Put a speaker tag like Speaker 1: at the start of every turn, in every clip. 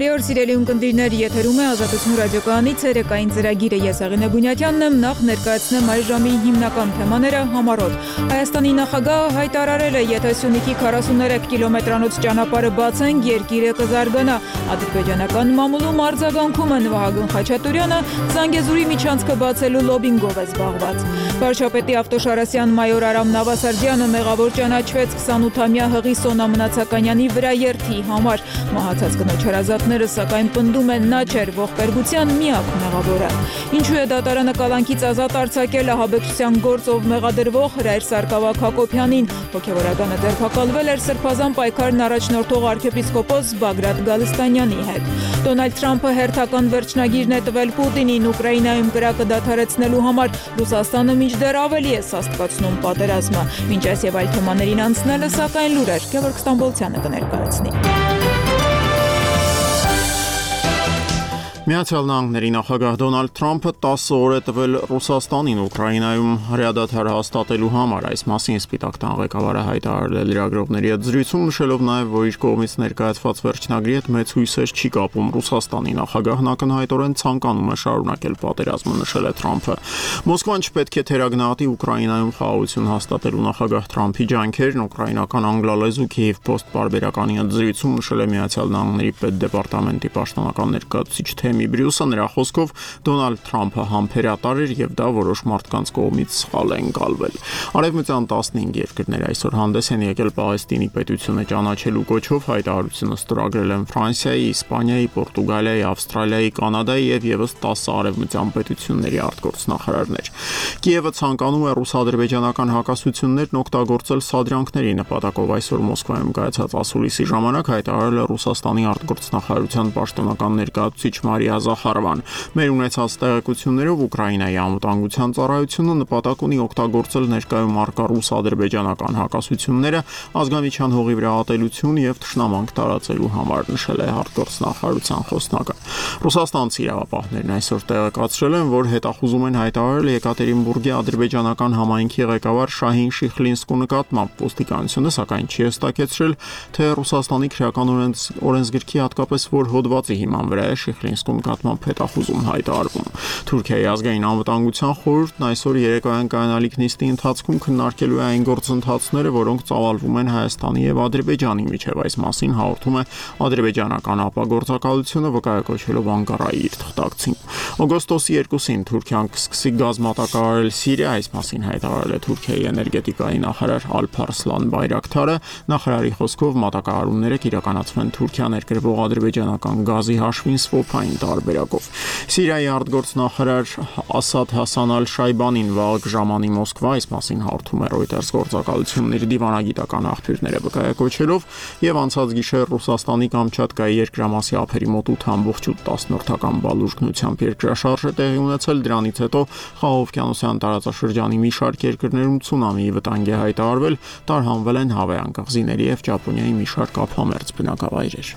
Speaker 1: Բարի օր, սիրելի ունկնդիրներ, եթերում է Ազատություն ռադիոկայանի ցերեկային ծրագիրը։ Ես Աղինե Բունյատյանն եմ, նախ ներկայացնեմ այս ժամի հիմնական թեմաները համառոտ։ Հայաստանի նախագահը հայտարարել է, եթե Սյունիքի 43 կիլոմետրանոց ճանապարհը բացենք, երկիրը կզարգանա։ Ադրբեջանական մամուլում արձագանքում են Վահագն Խաչատուրյանը, Զանգեզուրի միջանցքը բացելու լոբինգով է զբաղված։ Վարչապետի Ավտոշարասյան մայոր Արամ Նավասարդյանը մեղավոր ճանաչվեց 28-ամյա Հղի Սոնա Մնացականյանի վրա երթի համար։ Մահացած կնոջ հարազատները սակայն պնդում են, նա չէր ողբերգության միակ մեղավորը։ Ինչու է դատարանը կալանքից ազատ արձակել ահաբեկչության գործով մեղադրվող Հրայր Սարգսակ Հակոբյանին։ Հոգևորականը ձերբակալվել էր Սրբազան պայքարն առաջնորդող arczepiskopos Բագրատ Գալստանյանի հետ։ Դոնալդ Թրամփը հերթական վերջնագիրն է տվել Պուտինին Ուկրաինայում կրակը դադարեցնելու համար։ Ռուսաստանը մինչդեռ ավելի է սաստկացնում պատերազմը։ Մինչ այս եւ այլ թեմաներին անցնելը, սակայն լուրեր Գևորգ Ստամբոլցյանը կներկայացնի։
Speaker 2: Միացյալ Նահանգների նախագահ Դոնալդ Թրամփը 10 օր է տվել Ռուսաստանին Ուկրաինայում հրադադար հաստատելու համար։ Այս մասին Սպիտակ տան ղեկավարը հայտարարել է լրագրողների հետ զրույցում, նշելով նաև, որ իր կողմից ներկայացված վերջնագրի հետ մեծ հույսեր չի կապում Ռուսաստանի նախագահն ակնհայտորեն ցանկանում է շարունակել պատերազմը, նշել է Թրամփը։ Մոսկվան չպետք է թերագնահատի Ուկրաինայում խաղաղություն հաստատելու նախագահ Թրամփի ջանքերն, ուկրաինական անգլալեզու Քիև Post պարբերականի հետ զրույցում նշել է Միացյալ Նահանգների պետդեպարտամենտի պաշտոնական ներկայացուցիչ Թեմի Բրյուսը, նրա խոսքով Դոնալդ Թրամփը համբերատար էր եւ դա որոշ մարդկանց կողմից սխալ է ընկալվել։ Արևմտյան 15 երկրներ այսօր հանդես են եկել Պաղեստինի պետությունը ճանաչելու կոչով, հայտարարությունը ստորագրել են Ֆրանսիայի, Իսպանիայի, Պորտուգալիայի, Ավստրալիայի, Կանադայի եւ եւս 10 արևմտյան պետությունների արտգործնախարարներ։ Կիևը ցանկանում է ռուս-ադրբեջանական հակասություններն օգտագործել սադրյանքների նպատակով։ Այսօր Մոսկվայում կայացած ասուլիսի ժամանակ հայտարարել է Ռուսաստանի արտգործնախարարության պաշտոնական ներկայացուցիչ Մարիա Զախարովան։ Մեր ունեցած տեղեկություններով Ուկրաինայի անվտանգության ծառայությունը նպատակ ունի օգտագործել ներկայում առկա ռուս-ադրբեջանական հակասությունները ազգամիջյան հողի վրա ատելություն եւ թշնամանք տարածելու համար, նշել է արտգործնախարարության խոսնակը։ Ռուսաստանցի իրավապահներն այսօր տեղեկացրել են, որ հետախուզում են հայտարարել Եկատերինբուրգի ադրբեջանական համայնքի ղեկավար Շահին Շիխլինսկու նկատմամբ։ Ոստիկանությունը սակայն չի հստակեցրել, թե Ռուսաստանի քրեական օրենսգրքի հատկապես որ հոդվածի հիման վրա է Շիխլինսկու նկատմամբ հետախուզում հայտարարվում։ Թուրքիայի ազգային անվտանգության խորհուրդն այսօր երեկոյան կայանալիք նիստի ընթացքում քննարկելու է այն գործընթացները, որոնք ծավալվում են Հայաստանի եւ Ադրբեջանի միջև։ Այս մասին հաղորդում է ադրբեջանական ապագործակալությունը, վկայակոչելով Անկարայի իր թղթակցին։ Օգոստոսի 2-ին Թուրքիան կսկսի գազ մատակարարել Սիրիա, այս մասին հայտարարել է Թուրքիայի էներգետիկայի նախարար Ալփարսլան Բայրակթարը։ Նախարարի խոսքով մատակարարումները կիրականացվեն Թուրքիա ներկրվող ադրբեջանական գազի հաշվին սվոփային տարբերակով։ Սիրիայի արտգործնախարար Ասադ Հասան Ալ-Շայբանին վաղ ժամանի Մոսկվա, այս մասին հաղորդում է Reuters գործակալությունների դիվանագիտական աղբյուրները վկայակոչելով, եւ անցած գիշեր Ռուսաստանի Կամչատկայի երկրամասի ափերի մոտ 8.8 բալուժկնությամբ երկրաշարժ է տեղի ունեցել։ Դրանից հետո Խաղաղօվկիանոսյան տարածաշրջանի մի շարք երկրներում ցունամիի վտանգ է հայտարարվել, տարհանվել են Հավայան կղզիների եւ Ճապոնիայի մի շարք ափամերձ բնակավայրեր։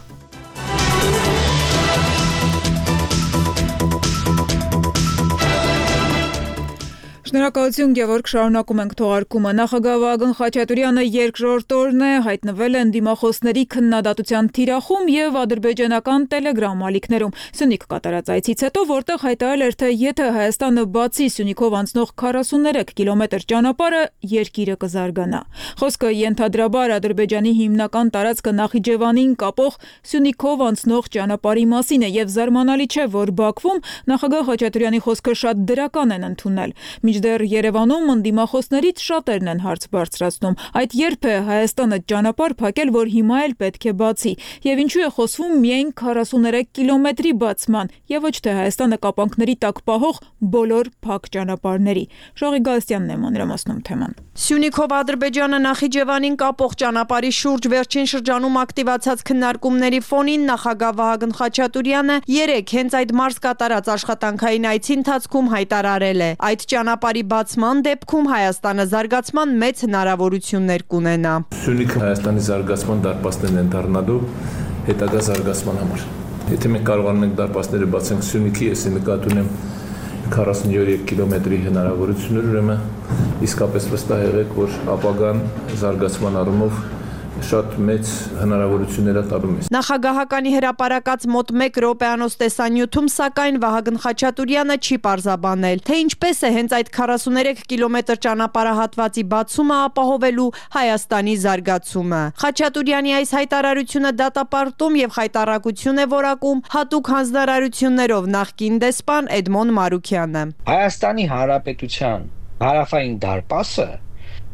Speaker 1: Շնորհակալություն Գևորգ, շարունակում ենք թողարկումը։ Նախագահ Վահագն Խաչատուրյանը երկրորդ օրն է հայտնվել են դիմախոսների քննադատության թիրախում եւ ադրբեջանական Telegram ալիքներում։ Սյունիք կատարած այցից հետո, որտեղ հայտարարել էր, թե եթե Հայաստանը բացի Սյունիքով անցնող 43 կիլոմետր ճանապարհը, երկիրը կզարգանա։ Խոսքը ենթադրաբար Ադրբեջանի հիմնական տարածքը Նախիջևանին կապող Սյունիքով անցնող ճանապարհի մասին է եւ զարմանալի չէ, որ Բաքվում նախագահ Խաչատուրյանի խոսքը շատ դրական են ընդունել։ Մինչդեռ Երևանում ընդդիմախոսներից շատերն են հարց բարձրացնում. այդ երբ է Հայաստանը ճանապարհ փակել, որ հիմա էլ պետք է բացի, եւ ինչու է խոսվում միայն 43 կիլոմետրի բացման, եւ ոչ թե Հայաստանը կապանքների տակ պահող բոլոր փակ ճանապարհների։ Շողի Գալստյանն է մանրամասնում թեման։
Speaker 3: Սյունիքով Ադրբեջանը Նախիջևանին կապող ճանապարհի շուրջ վերջին շրջանում ակտիվացած քննարկումների ֆոնին նախագահ Վահագն Խաչատուրյանը երեկ հենց այդ մարզ կատարած աշխատանքային այցի ընթացքում հայտարարել է. այդ ճանապարհի բացման դեպքում Հայաստանը զարգացման մեծ հնարավորություններ կունենա։
Speaker 4: Սյունիքը Հայաստանի զարգացման դարպասներն են դառնալու հետագա զարգացման համար։ Եթե մենք կարողանում ենք դարպասները բացենք Սյունիքի, ես նկատի ունեմ 43 կիլոմետրի հնարավորություններ, ուրեմն իսկապես վստահ եղեք, որ ապագան զարգացման առումով շատ մեծ հնարավորություններ տալու մեզ։
Speaker 3: Նախագահականի հրապարակած մոտ 1 րոպեանոց տեսանյութում, սակայն Վահագն Խաչատուրյանը չի պարզաբանել, թե ինչպես է հենց այդ 43 կիլոմետր ճանապարհահատվածի բացումը ապահովելու Հայաստանի զարգացումը։ Խաչատուրյանի այս հայտարարությունը դատապարտում եւ խայտառակություն է որակում հատուկ հանձնարարություններով նախկին դեսպան Էդմոն Մարուքյանը։
Speaker 5: Հայաստանի Հանրապետության հարավային դարպասը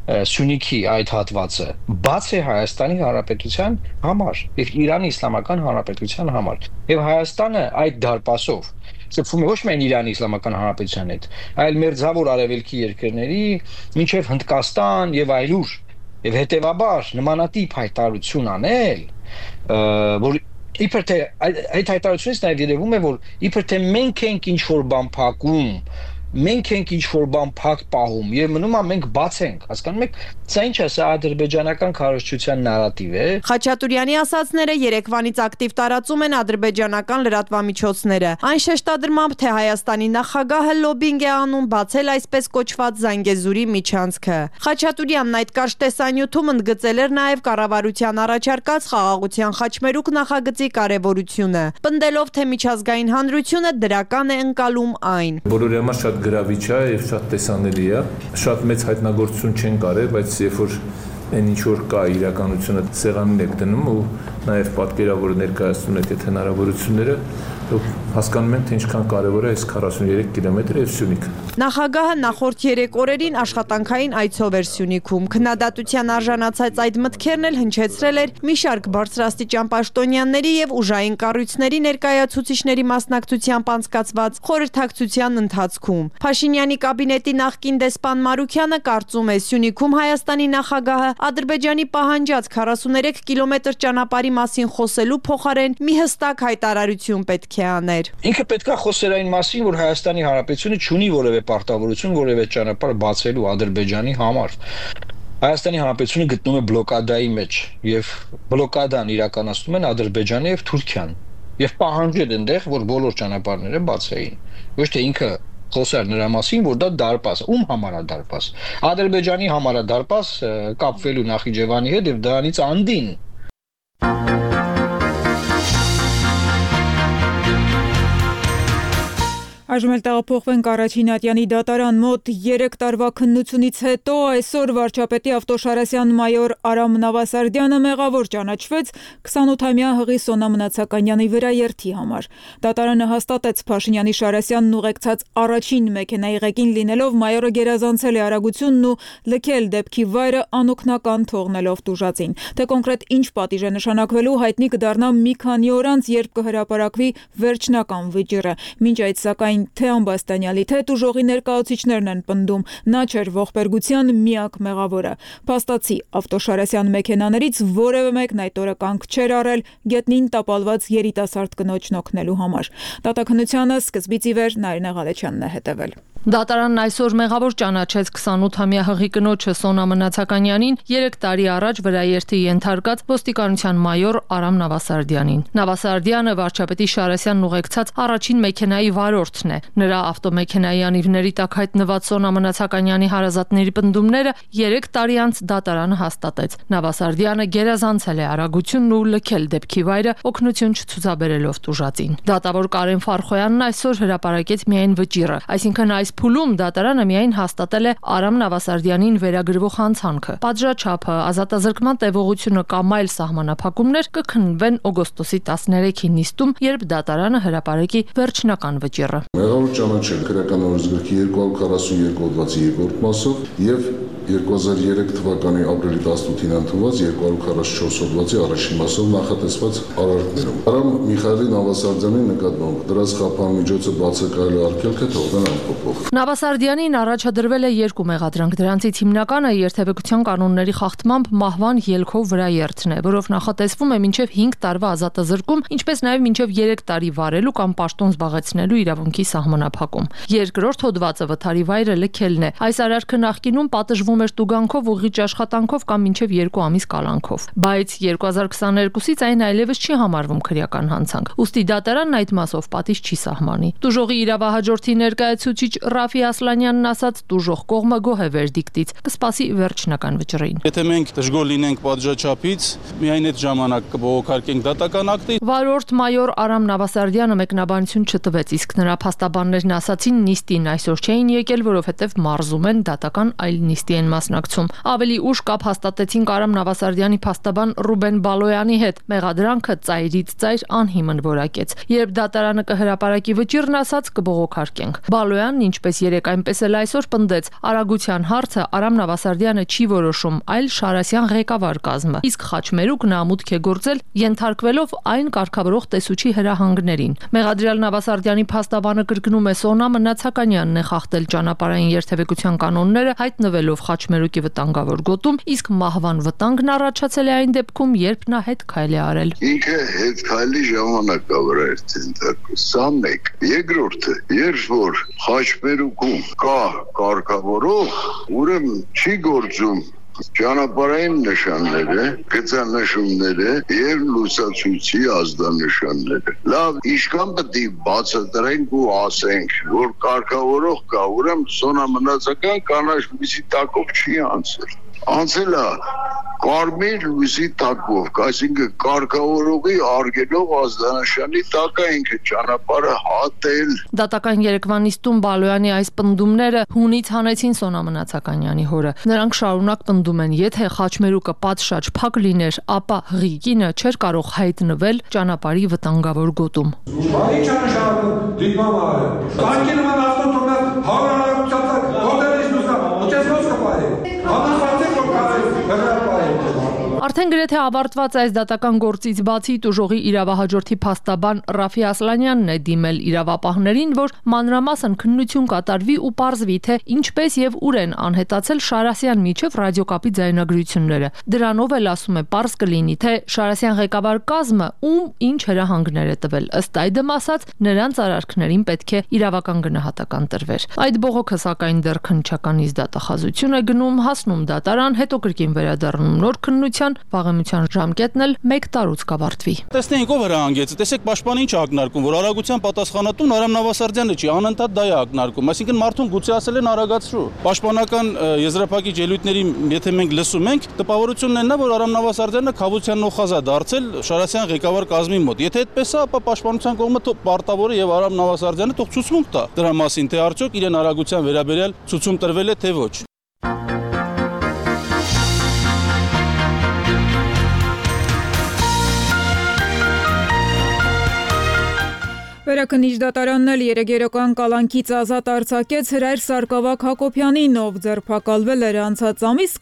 Speaker 5: Սյունիքի այդ հատվածը բաց է Հայաստանի Հանրապետության համար եւ Իրանի Իսլամական Հանրապետության համար եւ Հայաստանը այդ դարպասով շփվում է ոչ միայն Իրանի Իսլամական Հանրապետության հետ, այլ մերձավոր արևելքի երկրների, մինչև Հնդկաստան եւ այլուր եւ հետեւաբար նմանատիպ հայտարարություն անել, որ իբր թե այդ հայտարարությունից նաեւ երևում է, որ իբր թե մենք ենք ինչ որ բան փակում, մենք ենք ինչ-որ բան փակ պահում եւ մնում է մենք բաց ենք, հասկանում եք, սա ինչ է, սա ադրբեջանական քարոզչության նարատիվ է։
Speaker 3: Խաչատուրյանի ասածները երեկվանից ակտիվ տարածում են ադրբեջանական լրատվամիջոցները։ Այն շեշտադրմամբ, թե Հայաստանի նախագահը լոբինգ է անում բացել այսպես կոչված Զանգեզուրի միջանցքը։ Խաչատուրյանն այդ կարճ տեսանյութում ընդգծել էր նաեւ կառավարության առաջարկած խաղաղության խաչմերուկ նախագծի կարեւորությունը, պնդելով, թե միջազգային հանրությունը դրական է ընկալում այն։
Speaker 4: Բոլորի համար շատ գրավիչ է եւ շատ տեսանելի է, շատ մեծ հայտնագործություն չեն կարել, բայց երբ որ այն ինչ որ կա իրականությունը սեղանին եք դնում ու նաեւ պատկերավոր ներկայացնում եք այդ հնարավորությունները, հասկանում ենք, թե ինչքան կարևոր է այս 43 կիլոմետրը եւ Սյունիքը։
Speaker 3: Նախագահը նախորդ 3 օրերին աշխատանքային այցով էր Սյունիքում։ Քննադատության արժանացած այդ մտքերն էլ հնչեցրել էր մի շարք բարձրաստիճան պաշտոնյաների եւ ուժային կառույցների ներկայացուցիչների մասնակցությամբ անցկացված խորհրդակցության ընթացքում։ Փաշինյանի կաբինետի նախկին դեսպան Մարուքյանը կարծում է, Սյունիքում Հայաստանի նախագահը Ադրբեջանի պահանջած 43 կիլոմետր ճանապարհի մասին խոսելու փոխարեն մի հստակ հայտարարություն պետք է աներ։
Speaker 5: Ինքը պետք է խոսեր այն մասին, որ Հայաստանի Հանրապետությունը չունի որևէ պարտավորություն, որևէ ճանապարհ բացելու Ադրբեջանի համար։ Հայաստանի Հանրապետությունը գտնվում է բլոկադայի մեջ եւ բլոկադան իրականացնում են Ադրբեջանը եւ Թուրքիան։ Եվ պահանջել այնտեղ, որ բոլոր ճանապարհները բացեին։ Ոչ թե ինքը խոսար նրա մասին, որ դա դարպաս, ում համար է դարպաս։ Ադրբեջանի համար է դարպաս կապվելու Նախիջևանի հետ եւ դրանից անդին
Speaker 1: Այժմ էլ տեղափոխվենք Առաջինատյանի դատարան մոտ 3 տարվա քննությունից հետո այսօր վարչապետի Ավտոշարասյան մայոր Արամ Նավասարդյանը մեղավոր ճանաչվեց 28-ամյա հղի Սոնա Մնացականյանի վրա երթի համար։ Դատարանը հաստատեց Փաշինյանի Շարասյանն ուղեկցած առաջին մեքենայի ղեկին լինելով մայորը գերազանցել է արագությունն ու լքել դեպքի վայրը անօգնական թողնելով տուժածին։ Թե կոնկրետ ինչ պատիժ է նշանակվելու հայտնի կդառնա մի քանի օր անց, երբ կհրապարակվի վերջնական վճիռը։ Մինչ այդ սակայն թե Ամբաստանյալի, թե տուժողի ներկայացուցիչներն են պնդում, նա չէր ողբերգության միակ մեղավորը։ Փաստացի Ավտոշարասյան մեքենաներից որևէ մեկն այդ օրը կանգ չէր առել գետնին տապալված երիտասարդ կնոջն օգնելու համար։ Դատաքննությանը սկզբից ի վեր Նարինե Ղալեչյանն է հետևել։
Speaker 6: Դատարանն այսօր մեղավոր ճանաչեց 28-ամյա հղի կնոջը Սոնա Մնացականյանին 3 տարի առաջ վրաերթի ենթարկած ոստիկանության մայոր Արամ Նավասարդյանին։ Նավասարդյանը վարչապետի Շարասյանն ուղեկցած առաջին մեքենայի վարորդն է։ Նրա ավտոմեքենայի անիվների տակ հայտնված Սոնա Մնացականյանի հարազատների պնդումները 3 տարի անց դատարանը հաստատեց։ Նավասարդյանը գերազանցել է արագությունն ու լքել դեպքի վայրը օգնություն չցուցաբերելով տուժածին։ Դատավոր Կարեն Ֆարխոյանն այսօր հրապարակեց միայն վճիռը, այսինքն այս փուլում դատարանը միայն հաստատել է Արամ Նավասարդյանին վերագրվող հանցանքը։ Պատժաչափը, ազատազրկման տևողությունը կամ այլ սահմանափակումներ կքննվեն օգոստոսի 13-ի նիստում, երբ դատարանը հրապարակի վերջնական վճիռը։
Speaker 7: Մեղավոր ճանաչել քրեական օրենսգրքի 242 հոդվածի 2-րդ մասով եւ 2003 թվականի ապրիլի 18-ին ընդունված 244 հոդվածի առաջին մասով նախատեսված արարքներում։ Արամ Միխայելի Նավասարդյանի նկատմամբ դրած խափան միջոցը բացակայելու արգելքը թողնել անփոփոխ։
Speaker 6: Նավասարդյանին առաջադրվել է 2 մեղադրանք, դրանցից հիմնականը երթևեկության կանոնների խախտմամբ մահվան ելքով վրաերթն է, որով նախատեսվում է մինչև 5 տարվա ազատազրկում, ինչպես նաև մինչև 3 տարի վարելու կամ պաշտոն զբաղեցնելու իրավունքի սահմանափակում։ Երկրորդ հոդվածը վթարի վայրը լքելն է։ Այս արարքը նախկինում պատժվում էր տուգանքով, ուղղիչ աշխատանքով կամ մինչև 2 ամիս կալանքով։ Բայց 2022-ից այն այլևս չի համարվում քրեական հանցանք։ Ուստի դատարանն այդ մասով պատիժ չի սահմանի։ Տուժողի իրավահաջորդի ներկայացուցիչ Ռաֆի Ասլանյանն ասաց, տուժող կողմը գոհ է վերդիկտից, կսպասի վերջնական վճռին։
Speaker 8: Եթե մենք դժգոհ լինենք պատժաչափից, միայն այդ ժամանակ կբողոքարկենք դատական ակտը։
Speaker 6: Վարորդ մայոր Արամ Նավասարդյանը մեկնաբանություն չտվեց, իսկ նրա փաստաբաններն ասացին, նիստին այսօր չէին եկել, որովհետև մարզում են, դատական այլ նիստի են մասնակցում։ Ավելի ուշ կապ հաստատեցինք Արամ Նավասարդյանի փաստաբան Ռուբեն Բալոյանի հետ։ Մեղադրանքը ծայրից ծայր անհիմն որակեց։ Երբ դատարանը կհրապարակի վճիռն ասաց, կբողոքարկենք։ Բալոյանն ինչպես երեք, այնպես էլ այսօր պնդեց, արագության հարցը Արամ Նավասարդյանը չի որոշում, այլ Շարասյան ղեկավար կազմը։ Իսկ Խաչմերուկն ամուտք է գործել, ենթարկվելով այն կարգավորող տեսուչի հրահանգներին։ Մեղադրյալ Նավասարդյանի փաստաբանը կրկնում է, Սոնա Մնացականյանն է խախտել ճանապարհային երթևեկության կանոնները, հայտնվելով Խաչմերուկի վտանգավոր գոտում, իսկ մահվան վտանգն առաջացել է այն դեպքում, երբ նա հետ քայլ է արել։
Speaker 9: Ինքը հետ քայլի ժամանակա վրա էր ցենտրակը։ Սա մեկ։ Երկրորդը, երբ որ Խաչմերուկում կա կարգավորող, ուրեմն չի գործում ճանապարհային նշանները, գծանշումները եւ լուսացույցի ազդանշանները։ Լավ, ինչքան պետք է բացատրենք ու ասենք, որ կարգավորող կա, ուրեմն Սոնա Մնացական կանաչ լույսի տակով չի անցել։ Անցել է կարմիր լույսի տակով, այսինքն կարգավորողի արգելող ազդանշանի տակ է ինքը ճանապարհը հատել։
Speaker 6: Դատական երեկվա նիստում Բալոյանի այս պնդումները հունից հանեցին Սոնա Մնացականյանի հորը։ Նրանք շարունակ պնդում են, եթե Խաչմերուկը պատշաճ փակ լիներ, ապա Հղիկինը չէր կարող հայտնվել ճանապարհի վտանգավոր գոտում։
Speaker 10: Ինչ անշարժ դիպամարը։ Կարգի նման ավտոմատ հարարացած գոտերից նույնիսկ ուտեսնոց կպարի։
Speaker 6: Արդեն գրեթե ավարտված այս դատական գործից բացի տուժողի իրավահաջորդի փաստաբան Ռաֆի Ասլանյանն է դիմել իրավապահներին, որ մանրամասն քննություն կատարվի ու պարզվի, թե ինչպես եւ ուր են անհետացել Շարասյան միջև ռադիոկապի ձայնագրությունները։ Դրանով էլ ասում է պարզ կլինի, թե Շարասյան ղեկավար կազմը ում ինչ հրահանգներ է տվել։ Ըստ այդմ ասած, նրանց արարքներին պետք է իրավական գնահատական տրվեր։ Այդ բողոքը սակայն դեռ քննչականից դատախազություն է գնում, հասնում դատարան, հետո կրկին վերադառնում նոր քննության, վաղեմության ժամկետն էլ 1 տարուց կավարտվի։
Speaker 8: Տեսնենք ով հրահանգեց, տեսեք պաշտպանը ինչ է ակնարկում, որ արագության պատասխանատուն Արամ Նավասարդյանը չի, անընդհատ դա է ակնարկում, այսինքն մարդուն գուցե ասել են արագացրու։ Պաշտպանական եզրափակիչ ելույթների եթե մենք լսում ենք, տպավորությունն է նա, որ Արամ Նավասարդյանը խավության նոխազ է դարձել Շարասյան ղեկավար կազմի մոտ։ Եթե այդպես է, ապա պաշտպանության կողմը պարտավոր է եւ Արամ Նավասարդյանը թող ցուցմունք տա դրա մասին, թե արդյոք իրեն արագության վերաբերյալ ցուցում տրվել է թե ոչ։
Speaker 1: Վերաքննիչ դատարանն էլ երեգերական կալանքից ազատ արձակեց Հրայր Սարգսակ Հակոբյանին, ով ձերբակալվել էր անցած ամիս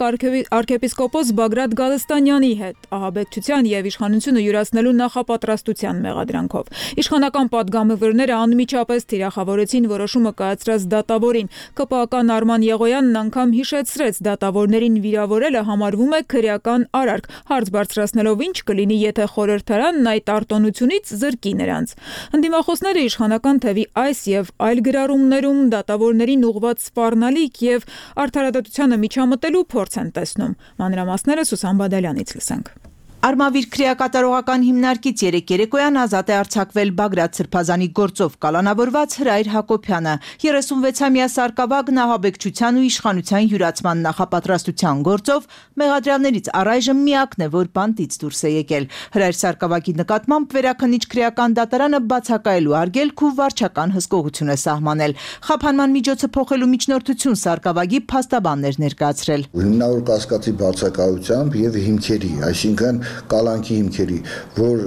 Speaker 1: arczepiskopos Բագրատ Գալստանյանի հետ ահաբեկչության եւ իշխանությունը յուրացնելու նախապատրաստության մեղադրանքով։ Իշխանական պատգամավորները անմիջապես թիրախավորեցին որոշումը կայացրած դատավորին։ ԿՊԱ-ական Արման Եղոյանն անգամ հիշեցրեց, դատավորներին վիրավորելը համարվում է քրեական արարք, հարց բարձրացնելով ինչ կլինի, եթե խորհրդարանն այդ արտոնությունից զրկի նրանց։ Ընդդիմախոսները իշխանական թևի այս եւ այլ գրառումներում դատավորներին ուղղված սպառնալիք եւ արդարադատությանը միջամտելու փորձ են տեսնում։ Մանրամասները Սուսան Բադալյանից լսենք։
Speaker 3: Արմավիր քրեակատարողական հիմնարկից երեկոյան ազատ է արձակվել Բագրատ Սրբազանի գործով կալանավորված Հրայր Հակոբյանը, 36-ամյա սարկավագն ահաբեկչության ու իշխանության յուրացման նախապատրաստության գործով մեղադրյալներից առայժմ միակն է, որ բանտից դուրս է եկել։ Հրայր Սարկավագի նկատմամբ վերաքննիչ քրեական դատարանը բացակայելու արգելք ու վարչական հսկողություն է սահմանել։ Խափանման միջոցը փոխելու միջնորդություն Սարկավագի փաստաբաններ ներկայացրել։
Speaker 7: Հիմնավոր կասկածի բացակայությամբ եւ հիմքերի, այսինքն կալանքի հիմքերի, որ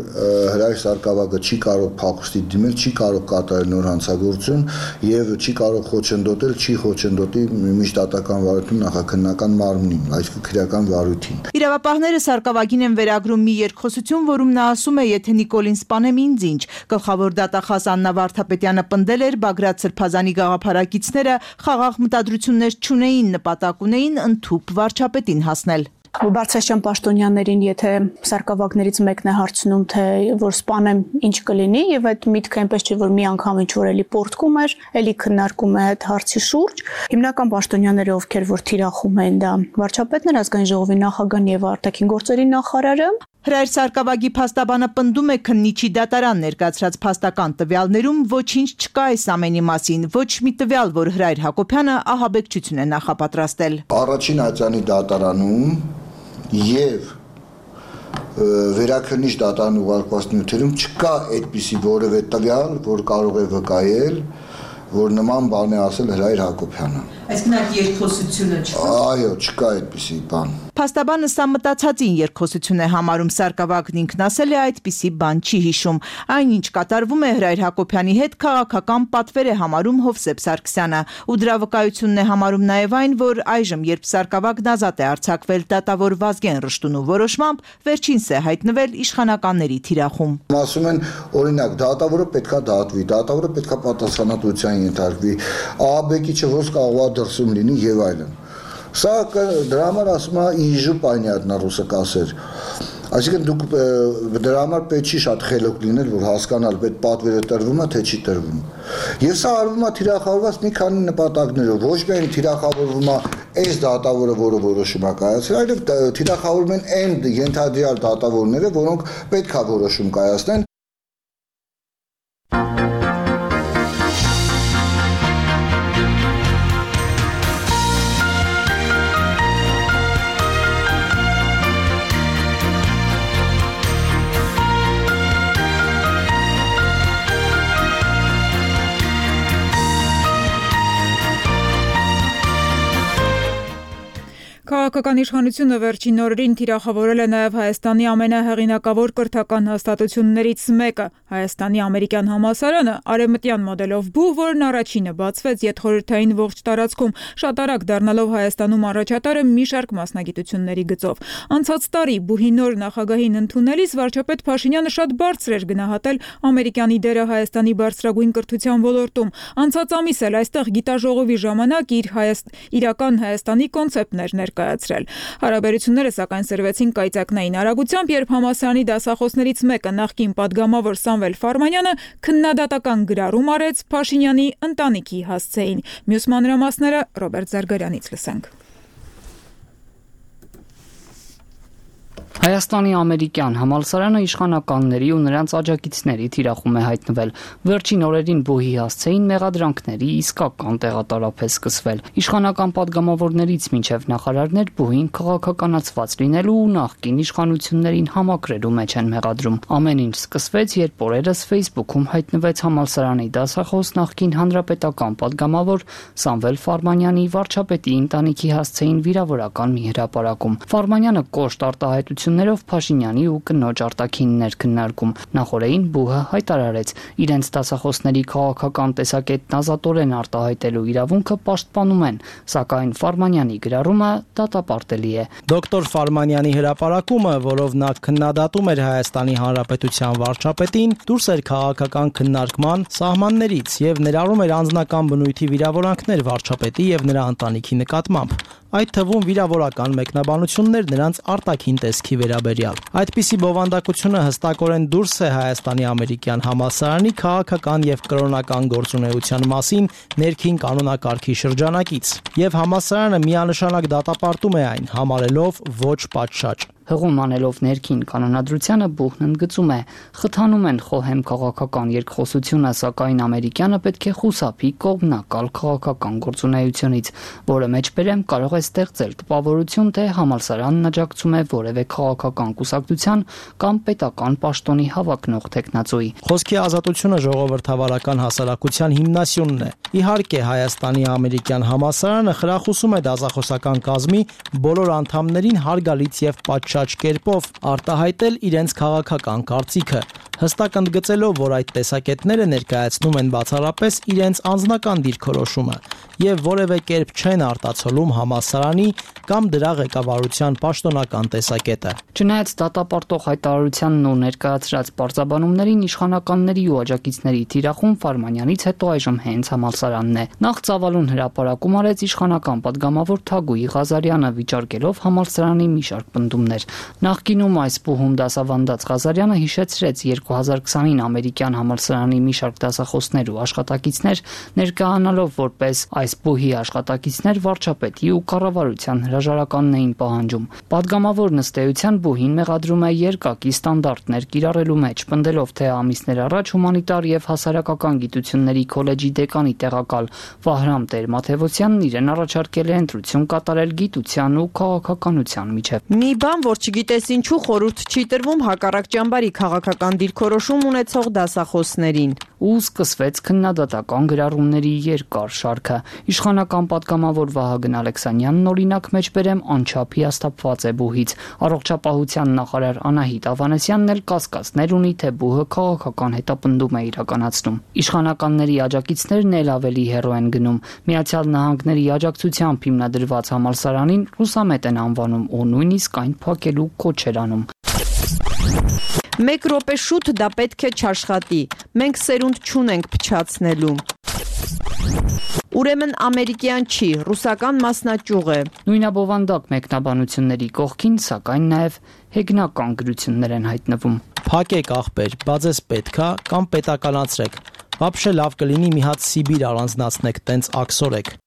Speaker 7: Հրայր Սարգսակը չի կարող փախուստի դիմել, չի կարող կատարել նոր հանցագործություն եւ չի կարող խոչընդոտել, չի խոչընդոտի միջդատական վարույթում նախաքննական մարմնին, այսինքն քրեական վարույթին։
Speaker 3: Իրավապահները Սարգսակին են վերագրում մի երկխոսություն, որում նա ասում է, եթե Նիկոլին սպանեմ ինձ ինչ։ Գլխավոր դատախազ Աննա Վարդապետյանը պնդել էր Բագրատ Սրբազանի գաղափարակիցները խաղաղ մտադրություններ չունեին, նպատակ ունեին ընդհուպ վարչապետին հասնել։
Speaker 11: Բարձրաստիճան պաշտոնյաներին, եթե սարկավագներից մեկն է հարցնում, թե որ սպանեմ ինչ կլինի, եւ այդ միտքը այնպես չէ, որ մի անգամ ինչ որ էլի պորտկում էր, էլի քննարկում է այդ հարցի շուրջ։ Հիմնական պաշտոնյաները, ովքեր որ թիրախում են դա վարչապետն էր, ազգային ժողովի նախագահն եւ արտաքին գործերի նախարարը։
Speaker 3: Հրայր Սարգսակյանի փաստաբանը պնդում է քննիչի դատարան ներկայացրած փաստական տվյալներում ոչինչ չկա այս ամենի մասին, ոչ մի տվյալ, որ Հրայր Հակոբյանը ահաբեկչություն է նախապատրաստել։
Speaker 12: Առաջին ատյանի դատարանում եւ վերաքննիչ դատարան ուղարկված նյութերում չկա այդպիսի որևէ տվյալ, որ կարող է վկայել, որ նման բան է ասել Հրայր Հակոբյանը։
Speaker 3: Այսինքն այդ երկխոսությունը չկա։
Speaker 12: Այո, չկա այդպիսի բան։
Speaker 3: Փաստաբանը սա մտածածին երկխոսություն է համարում, Սարգսակյանն ինքն ասել է այդպիսի բան չի հիշում։ Այնինչ կատարվում է Հրայր Հակոբյանի հետ քաղաքական պատվեր է համարում Հովսեփ Սարգսյանը, ու դրա վկայությունն է համարում նաև այն, որ այժմ երբ Սարգսակյանն ազատ է արձակվել դատավոր Վազգեն Ռշտունու որոշմամբ, վերջինս է հայտնվել իշխանականների թիրախում։
Speaker 12: Ասում են, օրինակ, դատավորը պետքա դատվի, դատավորը պետքա պատասխանատվության ենթարկվի, ահաբեկիչը ոնց կարող է դրսում լինի եւ այլն։ Սա դրա համար ասում է իժու պանյատնա ռուսը կասեր։ Այսինքն դուք դրա համար պետք չի շատ խելոք լինել, որ հասկանալ պետք պատվերը տրվում է, թե չի տրվում։ Եվ սա արվում է թիրախավորված մի քանի նպատակներով, ոչ միայն թիրախավորվում է այս դատավորը, որը որոշում է կայացրել, այլև թիրախավորվում են այն ենթադրյալ դատավորները, որոնք պետք է որոշում կայացնեն։
Speaker 1: Քաղաքական իշխանությունը վերջին օրերին թիրախավորել է նաև Հայաստանի ամենահեղինակավոր կրթական հաստատություններից մեկը՝ Հայաստանի ամերիկյան համալսարանը, արևմտյան մոդելով բուհ, որն առաջինը բացվեց յետխորհրդային ողջ տարածքում, շատ արագ դառնալով Հայաստանում առաջատարը մի շարք մասնագիտությունների գծով։ Անցած տարի բուհի նոր նախագահին ընդունելիս վարչապետ Փաշինյանը շատ բարձր էր գնահատել ամերիկյանի դերը Հայաստանի բարձրագույն կրթության ոլորտում։ Անցած ամիս էլ այստեղ գիտաժողովի ժամանակ իր իրական Հայաստանի կոնցեպտներ ներկայացրել։ Հարաբերությունները սակայն սրվեցին կայծակնային արագությամբ, երբ համալսարանի դասախոսներից մեկը նախկին պատգամավոր Սամվել Ֆարմանյանը քննադատական գրառում արեց Փաշինյանի ընտանիքի հասցեին։ Մյուս մանրամասները Ռոբերտ Զարգարյանից լսենք։
Speaker 13: Հայաստանի ամերիկյան համալսարանը իշխանականների ու նրանց աջակիցների թիրախում է հայտնվել։ Վերջին օրերին բուհի հասցեին մեղադրանքների իսկական տեղատարափ է սկսվել։ Իշխանական падգամավորներից մինչև նախարարներ բուհին քաղաքականացված լինելու ու նախկին իշխանություններին համակրելու մեջ են մեղադրում։ Ամեն ինչ սկսվեց, երբ օրերս Facebook-ում հայտնվեց համալսարանի դասախոս նախկին հանրապետական падգամավոր Սամվել Ֆարմանյանի վարչապետի ընտանիքի հասցեին վիրավորական մի հրապարակում։ Ֆարմանյանը կոշտ արտահայտություններով Փաշինյանի ու կնոջ արտաքիններ քննարկում։ Նախորդին բուհը հայտարարեց իրենց դասախոսների քաղաքական տեսակետն ազատորեն արտահայտելու իրավունքը պաշտպանում են, սակայն Ֆարմանյանի գրառումը դատապարտելի է։
Speaker 14: Դոկտոր Ֆարմանյանի հրապարակումը, որով նա քննադատում էր Հայաստանի Հանրապետության վարչապետին, դուրս էր քաղաքական քննարկման սահմաններից եւ ներառում էր անձնական բնույթի վիրավորանքներ վարչապետի եւ նրա ընտանիքի նկատմամբ, այդ թվում վիրավորական մեկնաբանություններ նրանց արտաքին տեսքի վերաբերյալ։ Այդպիսի բովանդակությունը հստակորեն դուրս է Հայաստանի ամերիկյան համալսարանի քաղաքական եւ կրոնական գործունեության մասին ներքին կանոնակարգի շրջանակից, եւ համալսարանը միանշանակ դատապարտում է այն, համարելով ոչ պատշաճ։
Speaker 13: Հղում անելով ներքին կանոնադրությանը բուհն ընդգծում է. խթանում են խոհեմ քաղաքական երկխոսությունը, սակայն ամերիկյանը պետք է խուսափի կողմնակալ քաղաքական գործունեությունից, որը մեջբերեմ կարող է ստեղծել տպավորություն, թե համալսարանն աջակցում է որևէ քաղաքական կուսակցության կամ պետական պաշտոնի հավակնող տեխնացուի։
Speaker 14: Խոսքի ազատությունը ժողովրդավարական հասարակության հիմնասյունն է։ Իհարկե, Հայաստանի ամերիկյան համալսարանը խրախուսում է դասախոսական կազմի բոլոր անդամներին հարգալից եւ պատշաճ կերպով արտահայտել իրենց քաղաքական կարծիքը, հստակ ընդգծելով, որ այդ տեսակետները ներկայացնում են բացառապես իրենց անձնական դիրքորոշումը եւ որևէ կերպ չեն արտացոլում համալսարանի կամ դրա ղեկավարության պաշտոնական տեսակետը։
Speaker 13: Չնայած դատապարտող հայտարարությանն ու ներկայացրած պարզաբանումներին, իշխանականների ու աջակիցների թիրախում Ֆարմանյանից հետո այժմ հենց համալսարանն է։ Նախ ծավալուն հրապարակում արեց իշխանական падգամավոր Թագուհի Ղազարյանը, վիճարկելով համալսարանի մի շարք պնդումներ։ Նախկինում այս բուհում դասավանդած Ղազարյանը հիշեցրեց 2020-ին ամերիկյան համալսարանի մի շարք դասախոսներ ու աշխատակիցներ ներկայանալով որպես այս բուհի աշխատակիցներ վարչապետի ու կառավարության հրաժարականն էին պահանջում։ Պատգամավորն ըստ էության բուհին մեղադրում է երկակի ստանդարտներ կիրառելու մեջ, պնդելով, թե ամիսներ առաջ հումանիտար եւ հասարակական գիտությունների քոլեջի դեկանի տեղակալ Վահրամ Տեր-Մաթևոսյանն իրեն առաջարկել է ընտրություն կատարել գիտության ու քաղաքականության միջև։
Speaker 3: Մի բան, որ չգիտես ինչու խորհուրդ չի տրվում հակառակ ճամբարի քաղաքական դիրքորոշում ունեցող դասախոսներին։
Speaker 13: Ու սկսվեց քննադատական գրառումների երկար շարքը։ Իշխանական պատգամավոր Վահագն Ալեքսանյանն օրինակ մեջբերեմ անչափ հիասթափված է բուհից։ Առողջապահության նախարար Անահիտ Ավանեսյանն էլ կասկածներ ունի, թե բուհը քաղաքական հետապնդում է իրականացնում։ Իշխանականների աջակիցներն էլ ավելի հեռու են գնում։ Միացյալ Նահանգների աջակցությամբ հիմնադրված համալսարանին ռուսամետ են անվանում ու նույնիսկ այն փակելու կոչ են անում։
Speaker 3: Մեկ րոպե շուտ դա պետք է չաշխատի։ Մենք սերունդ չունենք փչացնելու։ Ուրեմն ամերիկյան չի, ռուսական մասնաճյուղ է։
Speaker 13: Նույնաբովանդակ մեկնաբանությունների կողքին, սակայն նաև հեգնական գրություններ են հայտնվում։
Speaker 14: Փակեք ախպեր, բա ձեզ պետքա կամ պետականացրեք։ Вообще լավ կլինի մի հատ Սիբիր առանձնացնեք, տենց աքսորեք։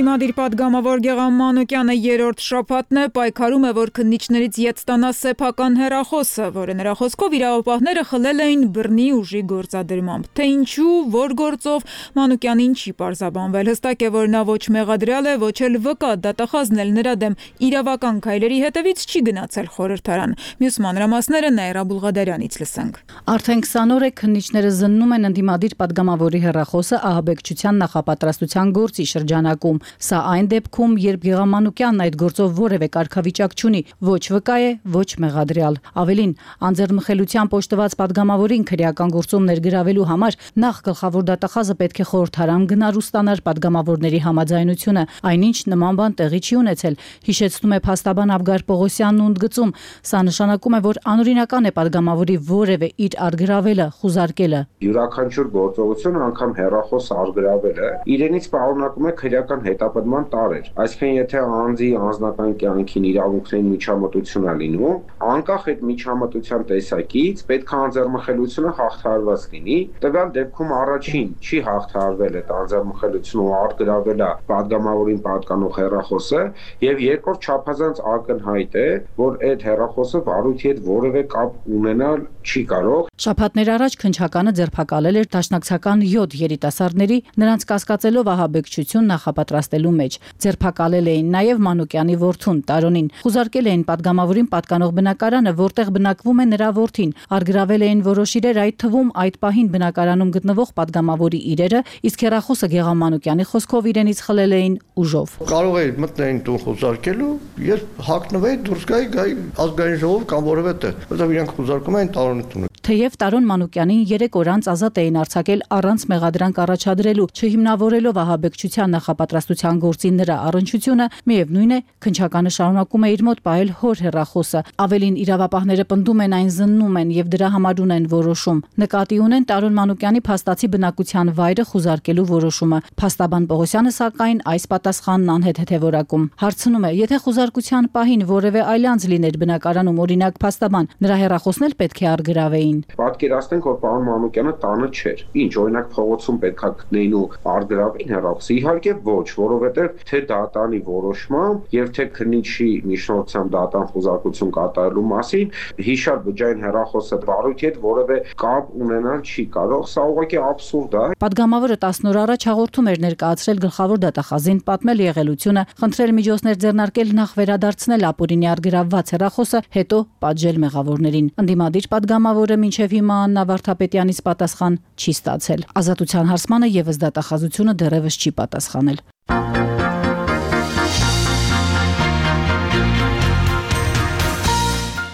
Speaker 1: Ընդդիմադիր պատգամավոր Գեղամ Մանուկյանը երրորդ շաբաթն է պայքարում է, որ քննիչներից ետ ստանա սեփական հեռախոսը, որը նրա խոսքով իրավապահները խլել էին բռնի ուժի գործադրմամբ։ Թե ինչու, որ գործով, Մանուկյանին չի պարզաբանվել։ Հստակ է, որ նա ոչ մեղադրյալ է, ոչ էլ վկա, դատախազն էլ նրա դեմ իրավական քայլերի հետևից չի գնացել խորհրդարան։ Մյուս մանրամասները Նաիրա Բուլղադարյանից լսենք։
Speaker 15: Արդեն 20 օր է քննիչները զննում են ընդդիմադիր պատգամավորի հեռախոսը ահաբեկչության նախապատրաստության գործի շրջանակում։ Սա այն դեպքում, երբ Գեղամ Մանուկյանն այդ գործով որևէ կարգավիճակ չունի, ոչ վկա է, ոչ մեղադրյալ։ Ավելին, անձեռնմխելությամբ օժտված պատգամավորին քրեական գործում ներգրավելու համար նախ գլխավոր դատախազը պետք է խորհրդարան գնար ու ստանար պատգամավորների համաձայնությունը, այնինչ նման բան տեղի չի ունեցել, հիշեցնում է փաստաբան Աբգար Պողոսյանն ու ընդգծում, սա նշանակում է, որ անօրինական է պատգամավորի որևէ իր արգրավելը, խուզարկելը։
Speaker 16: Յուրաքանչյուր գործողություն, անգամ հեռախոս արգրավելը, իրենից պարունակում է քրեական հետապնդման տարեր։ Այսինքն, եթե անձի անձնական կյանքին իրավունքներին միջամտություն է լինում, անկախ այդ միջամտության տեսակից պետք է անձեռնմխելիությունը հաղթահարված լինի։ Տվյալ դեպքում առաջին չի հաղթահարվել այդ անձեռնմխելիությունը ու արգրավել է պատգամավորին պատկանող հեռախոսը, եւ երկրորդ չափազանց ակնհայտ է, որ այդ հեռախոսը վարույթի հետ որևէ կապ ունենալ չի կարող։
Speaker 15: Շաբաթներ առաջ քննչականը ձերբակալել էր դաշնակցական 7 երիտասարդների նրանց կասկածելով ահաբեկչություն նախապատրաստելու մեջ։ Ձերբակալել էին նաև Մանուկյանի որդուն Տարոնին։ Խուզարկել էին պատգամավորին պատկանող բնակարանը, որտեղ բնակվում է նրա որդին։ Արգրավել էին որոշ իրեր, այդ թվում այդ պահին բնակարանում գտնվող պատգամավորի իրերը, իսկ հեռախոսը Գեղամ Մանուկյանի խոսքով իրենից խլել էին ուժով։
Speaker 17: Կարող է մտնեին տուն խուզարկելու, երբ հակնվեի դուրս գայի ազգային ժողով կամ որևէ տեղ, որտեղ իրենք խուզարկում էին Տարոնի տունը։
Speaker 15: Թեև Տարոն Մանուկյանին 3 օր անց ազատ էին արձակել առանց մեղադրանք առաջադրելու, չհիմնավորելով ահաբեկչության նախապատրաստության գործի նրա առնչությունը, միևնույն է, քննչականը շարունակում է իր մոտ պահել հոր հեռախոսը։ Ավելին, իրավապահները պնդում են այն զննում են եւ դրա համար ունեն որոշում։ Նկատի ունեն Տարոն Մանուկյանի փաստացի բնակության վայրը խուզարկելու որոշումը։ Փաստաբան Պողոսյանը սակայն այս պատասխանն անհետ է որակում։ Հարցնում է, եթե խուզարկության պահին որևէ այլ անձ լիներ բնակարանում, օրինակ փաստաբան, նրա հեռախոսն էլ պետք է արգրավեին։
Speaker 16: Պատկերացնենք, որ պարոն Մանուկյանը տանը չէր։ Ինչ, օրինակ փողոցում պետքա գտնեին ու արգրավեին հեռախոսը։ Իհարկե ոչ, որովհետև թե դատանի որոշմամբ եւ թե քննիչի միջնորդությամբ դատան խուզարկություն կատարելու մասին հիշար բջջային հեռախոսը վարույթի հետ որևէ կապ ունենալ չի կարող։ Սա ուղղակի աբսուրդ է։
Speaker 15: Պատգամավորը 10 օր առաջ հաղորդում էր ներկայացրել գլխավոր դատախազին, պատմել եղելությունը, խնդրել միջոցներ ձեռնարկել նախ վերադարձնել ապօրինի արգրավված հեռախոսը, հետո պատժել մեղավորներին։ Ընդդիմադիր պատգամավորը մինչև հիմա Աննա Վարդապետյանից պատասխան չի ստացել։ Ազատության հարցմանը եւս դատախազությունը դեռևս չի պատասխանել։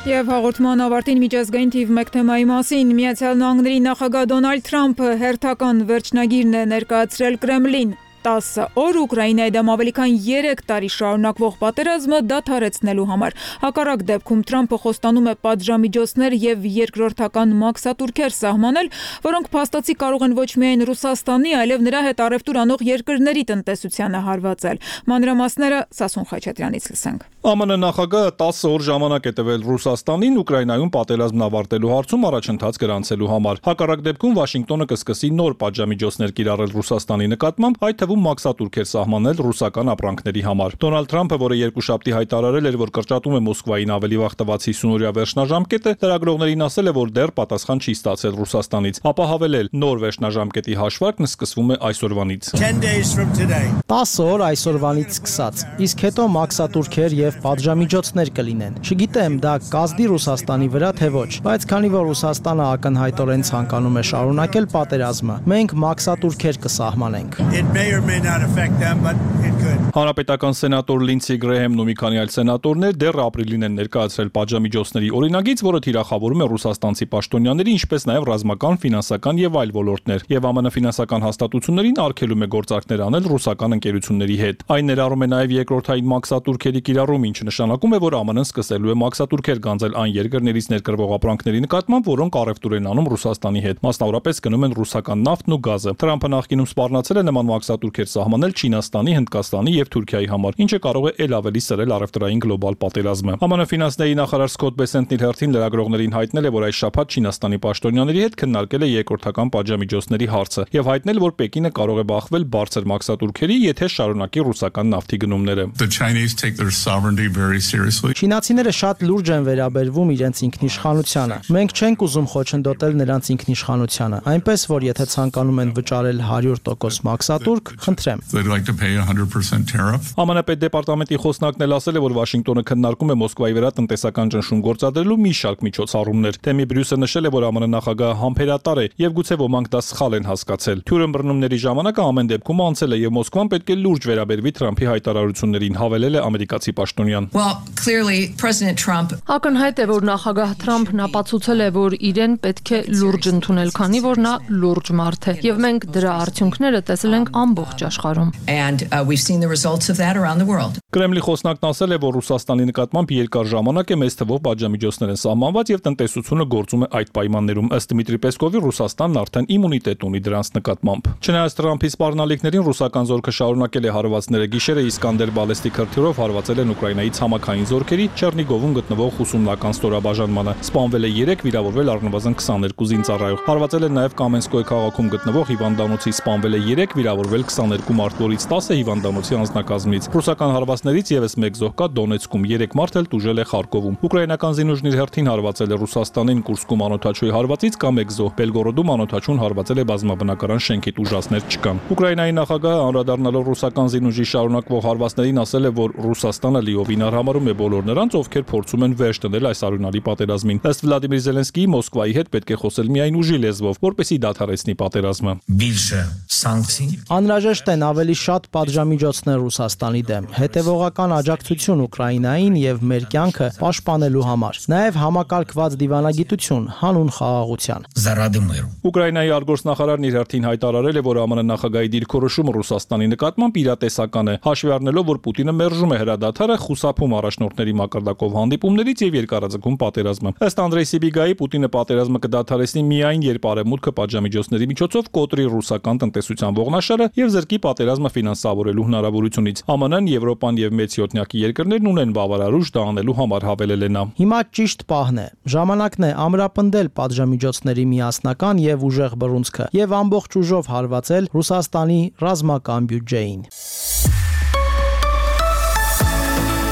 Speaker 1: Եվ հաղորդման ավարտին միջազգային թիվ 1 թեմայի մասին Միացյալ Նահանգների նախագահ Դոնալդ Թրամփը հերթական վերջնագիրն է ներկայացրել Կրեմլին 10 օր Ուկրաինայի դեմ ավելի քան 3 տարի շարունակվող պատերազմը դադարեցնելու համար։ Հակառակ դեպքում Թրամփը խոստանում է պատժամիջոցներ եւ երկրորդական մաքսատուրքեր սահմանել, որոնք փաստացի կարող են ոչ միայն Ռուսաստանի, այլև նրա հետ առևտուր անող երկրների տնտեսությանը հարվածել։ Մանրամասները Սասուն Խաչատրյանից լսենք։
Speaker 18: ԱՄՆ նախագահը 10 օր ժամանակ է տվել Ռուսաստանին Ուկրաինայում պատերազմն ավարտելու հարցում առաջընթաց գրանցելու համար։ Հակառակ դեպքում Վաշինգտոնը կսկսի նոր պատժամիջոցներ կիրառել Ռուսաստանի նկատմամբ, այդ թվում մաքսատուրքեր սահմանել ռուսական ապրանքների համար։ Դոնալդ Թրամփը, որը երկուշաբթի հայտարարել էր, որ կրճատում է Մոսկվային ավելի վաղ տված 50-օրյա վերջնաժամկետը, լրագրողներին ասել է, որ դեռ պատասխան չի ստացել Ռուսաստանից։ Ապա հավելել, նոր վերջնաժամկետի հաշվարկն սկսվում է այսօրվանից։
Speaker 14: 10 օր այսօրվանից սկսած, իսկ հետո մաքսատուրքեր եւ պատժամիջոցներ կլինեն։ Չգիտեմ, դա կազդի Ռուսաստանի վրա թե ոչ, բայց քանի որ Ռուսաստանը ակնհայտորեն ցանկանում է շարունակել պատերազմը, մենք մաքսատուրքեր կսահմանենք։
Speaker 18: Հանրապետական սենատոր Լինսի Գրեհեմն ու մի քանի այլ սենատորներ դեռ ապրիլին են ներկայացրել պատժամիջոցների օրինագիծ, որը թիրախավորում է ռուսաստանցի պաշտոնյաների, ինչպես նաև ռազմական, ֆինանսական եւ այլ ոլորտներ, եւ ԱՄՆ ֆինանսական հաստատություններին արգելում է գործարքներ անել ռուսական ընկերությունների հետ։ Այն ներառում է նաև երկրորդային մաքսատուրքերի կիրառում, ինչը նշանակում է, որ ԱՄՆ-ն սկսելու է մաքսատուրքեր գանձել այն երկրներից ներկրվող ապրանքների նկատմամբ, որոնք առևտուր են անում Ռուսաստանի հետ, մասնավորապես գնում են ռուսական նավթն ու գազը։ Թրամփը նախկինում սպառնացել է նման մաքսատուրքեր սահմանել Չինաստանի, Հնդկաստանի եւ Թուրքիայի համար, ինչը կարող է ել ավելի սրել առևտրային գլոբալ պատերազմը։ ԱՄՆ ֆինանսների նախարար Սկոտ Բեսենտն իր հերթին լրագրողներին հայտնել է, որ այս շաբաթ Չինաստանի պաշտոնյաների հետ քննարկել է երկրորդական պատժամիջոցների հարցը եւ հայտնել, որ Պեկինը կարող է բախվել բարձր մաքսատուրքերի, եթե շարունակի ռուսական նավթի գնումները։
Speaker 14: Չինացիները շատ լուրջ են վերաբերվում իրենց ինքնիշխանությանը։ Մենք չենք ուզում խոչընդոտել նրանց ինքնիշխանությանը, այնպես որ եթե ցանկանում են վճարել 100% մաքսատուրք, խնդրեմ։
Speaker 18: ԱՄՆ պետդեպարտամենտի խոսնակն էլ ասել է, որ Վաշինգտոնը քննարկում է Մոսկվայի վրա տնտեսական ճնշում գործադրելու մի շարք միջոցառումներ։ Թեմի Բրյուսը նշել է, որ ԱՄՆ նախագահը համբերատար է եւ գուցե ոմանք դա սխալ են հասկացել։ Թյուրն բռնումների ժամանակ ամեն դեպքում անցել է եւ Մոսկվան պետք է լուրջ վերաբերվի Թրամփի հայտարարություններին, հավելել է ամերիկացի պաշտոնյան։
Speaker 6: Ակնհայտ է, որ նախագահ Թրամփն ապացուցել է, որ իրեն պետք է լուրջ ընդունել, քանի որ նա լուրջ մարդ է եւ մենք դրա արդյունքները տեսել ենք ամբողջ աշխարհում։
Speaker 18: Կրեմլի խոսնակն ասել է, որ Ռուսաստանի նկատմամբ երկար ժամանակ է մեծ թվով պատժամիջոցներ են սահմանված եւ տնտեսությունը գործում է այդ պայմաններում։ Ըստ Դմիտրի Պեսկովի, Ռուսաստանն արդեն իմունիտետ ունի դրանց նկատմամբ։ Չնայած Թրամփի սպառնալիքներին ռուսական զորքը շարունակել է հարվածները գիշերը Իսկանդեր բալեստիկ հրթիռով հարվածել են Ուկրաինայի ցամաքային զորքերի Չեռնիգովում գտնվող ուսումնական ստորաբաժանմանը։ Սպանվել է 3, վիրավորվել առնվազն 22 զինծառայող։ Հարվածել են նաև Կամենսկոյ քաղաքում գտնվող հիվանդանոցի, սպանվել է 3, վիրավորվել 22 մարդ, որից 10-ը հիվանդանոցի անձնակազմից։ Ռուսական հարվածներից եւս 1 զոհ կա Դոնեցկում, 3 մարդ էլ տուժել է Խարկովում։ Ուկրաինական զինուժն իր հերթին հարվածել է Ռուսաստանին, Կուրսկում անօթաչուի հարվածից կա 1 զոհ, Բելգորոդում անօթաչուն հարվածել է բազմաբնակարան շենքի, տուժածներ չկան։ Ուկրաինայի նախագահը անդրադառնալով ռուսական զինուժի շարունակվող հարվածներին ասել է, որ Ռուսաստանը լիովին արհամարհում է բոլոր նրանց, ովքեր փորձում են վերջ դնել այս արյունալի պատերազմին։ Ըստ Վլադիմիր Զելենսկիի, Մոսկվայի հետ պետք է խոսել միայն ուժի լեզվով, որպեսզի դադարեցնի պատերազմը։
Speaker 14: Անհրաժեշտ են ավելի շատ պատժամիջոցներ Ռուսաստանի դեմ, հետևողական աջակցություն Ուկրաինային եւ մեր կյանքը պաշտպանելու համար, նաեւ համակարգված դիվանագիտություն հանուն խաղաղության։
Speaker 18: Ուկրաինայի արտգործնախարարն իր հերթին հայտարարել է, որ ԱՄՆ նախագահի դիրքորոշումը Ռուսաստանի նկատմամբ իրատեսական է, հաշվի առնելով, որ Պուտինը մերժում է հրադադարը, խուսափում առաջնորդների մակարդակով հանդիպումներից եւ երկարաձգում պատերազմը։ Ըստ Անդրեյ Սիբիգայի, Պուտինը պատերազմը կդադարեցնի միայն երբ արևմուտքը պատժամիջոցների միջոցով կոտրի ռուսական տնտեսության ողնաշարը եւ զրկի պատերազմը ֆինանսավորելու հնարավորությունից։ ԱՄՆ-ն, Եվրոպան եւ մեծ յոթնյակի երկրներն ունեն բավարար ուժ դա անելու համար, հավելել է նա։
Speaker 14: Հիմա ճիշտ պահն է։ Ժամանակն է ամրապնդել պատժամիջոցների միասնական եւ ուժեղ բռունցքը եւ ամբողջ ուժով հարվածել Ռուսաստանի ռազմական բյուջեին։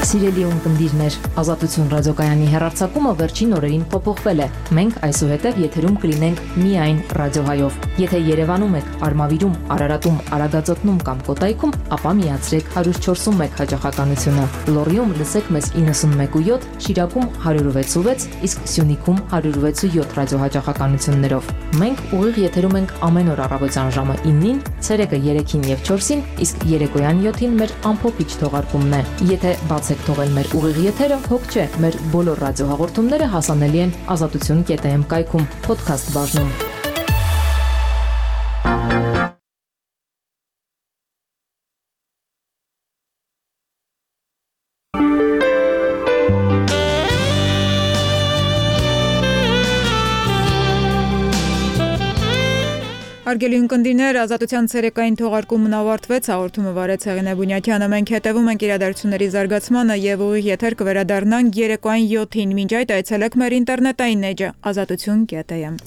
Speaker 19: Սիրելի ունկնդիրներ, Ազատություն ռադիոկայանի հեռարձակումը վերջին օրերին փոփոխվել է։ Մենք այսուհետև եթերում կլինենք միայն ռադիոհայով։ Եթե Երևանում եք, Արմավիրում, Արարատում, Արագածոտնում կամ Կոտայքում, ապա միացրեք 104.1 հաճախականությունը։ Լոռիում լսեք մեզ 91.7, Շիրակում 106.6, իսկ Սյունիքում 106.7 ռադիոհաճախականություններով։ Մենք ուղիղ եթերում ենք ամեն օր առավոտյան ժամը 9-ին, ցերեկը 3-ին եւ 4-ին, իսկ երեկոյան 7-ին մեր ամփոփիչ թողարկումն է։ Եթե բացեք շարունակեք թողել մեր ուղիղ եթերը, հոգ չէ, մեր բոլոր ռադիոհաղորդումները հասանելի են azatutun.am կայքում podcast բաժնում։
Speaker 1: Հարգելի ունկնդիրներ, Ազատության ցերեկային թողարկումն ավարտվեց, հաղորդումը վարեց Հեղինե Բունյաթյանը, մենք հետևում ենք իրադարձությունների զարգացմանը եւ ուղիղ եթեր կվերադառնանք երեկոային 7-ին, մինչ այդ այցելեք մեր ինտերնետային էջը azatutun.am